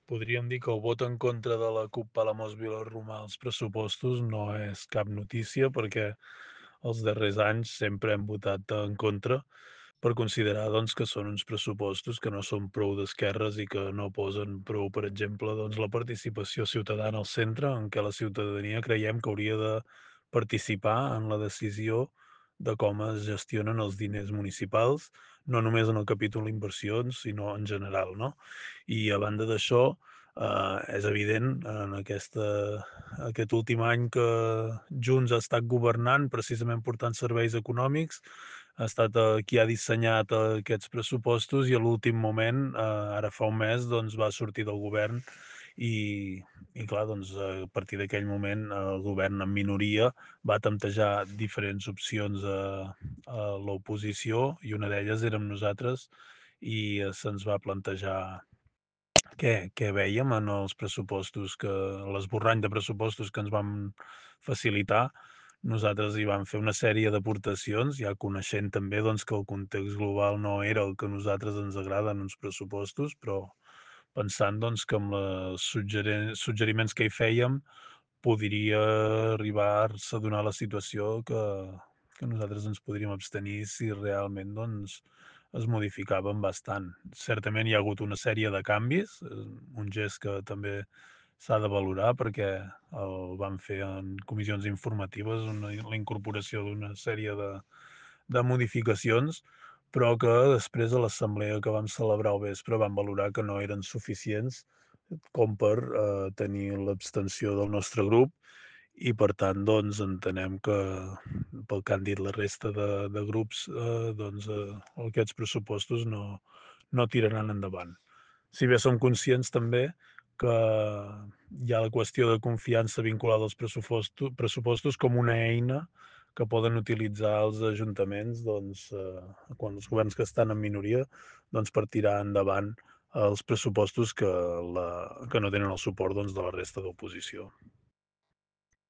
Podríem dir que el vot en contra de la CUP Palamós Vilarromà als pressupostos no és cap notícia perquè els darrers anys sempre hem votat en contra per considerar doncs, que són uns pressupostos que no són prou d'esquerres i que no posen prou, per exemple, doncs, la participació ciutadana al centre, en què la ciutadania creiem que hauria de participar en la decisió de com es gestionen els diners municipals, no només en el capítol inversions, sinó en general, no? I a banda d'això, és evident en aquest últim any que Junts ha estat governant, precisament portant serveis econòmics, ha estat qui ha dissenyat aquests pressupostos i a l'últim moment, ara fa un mes, doncs va sortir del govern i i clar, doncs, a partir d'aquell moment el govern en minoria va temptejar diferents opcions a l'oposició i una d'elles érem nosaltres i se'ns va plantejar què vèiem en els pressupostos l'esborrany de pressupostos que ens van facilitar. Nosaltres hi vam fer una sèrie d'aportacions, ja coneixent també, doncs, que el context global no era el que a nosaltres ens agrada en uns pressupostos, però pensant, doncs, que amb les suggeriments que hi fèiem podria arribar-se a donar la situació que nosaltres ens podríem abstenir si realment, doncs, es modificaven bastant. Certament hi ha hagut una sèrie de canvis, un gest que també s'ha de valorar perquè el vam fer en comissions informatives, la incorporació d'una sèrie de modificacions, però que després a l'assemblea que vam celebrar al vespre vam valorar que no eren suficients com per tenir l'abstenció del nostre grup i per tant, doncs, entenem que pel que han dit la resta de grups, doncs, aquests pressupostos no tiraran endavant. Si bé som conscients també que hi ha la qüestió de confiança vinculada als pressupostos com una eina que poden utilitzar els ajuntaments, doncs, quan els governs que estan en minoria, doncs, per tirar endavant els pressupostos que no tenen el suport, doncs, de la resta d'oposició.